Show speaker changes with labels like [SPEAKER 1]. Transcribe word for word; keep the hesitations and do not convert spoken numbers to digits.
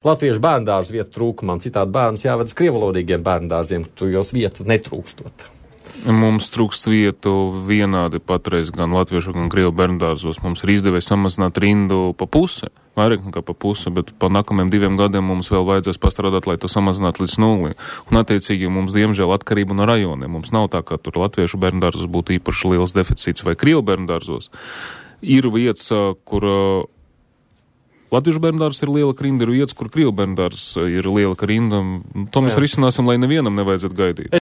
[SPEAKER 1] Latviešu bērndārzu vietu trūkumam, citādi bērns jāved uz krievalodīgiem bērndārziem, tu jau vietu netrūkstot.
[SPEAKER 2] Mums trūkst vietu vienādi patreiz gan latviešu, gan krievu bērndārzos. Mums ir izdevies samazināt rindu pa pusi, vairāk nekā pa pusi, bet pa nākamajiem diviem gadiem mums vēl vajadzēs pastrādāt, lai to samazinātu līdz nulli. Un attiecīgi mums, diemžēl, atkarība no rajoniem. Mums nav tā, ka tur latviešu bērndārzos būtu īpaši liels deficīts vai krievu bērndārzos. Ir vietas, kur latviešu bērndārs ir liela rinda, ir vietas, kur krievu bērndārs ir liela rinda. To mēs risināsim, lai nevienam nevajadzētu gaidīt.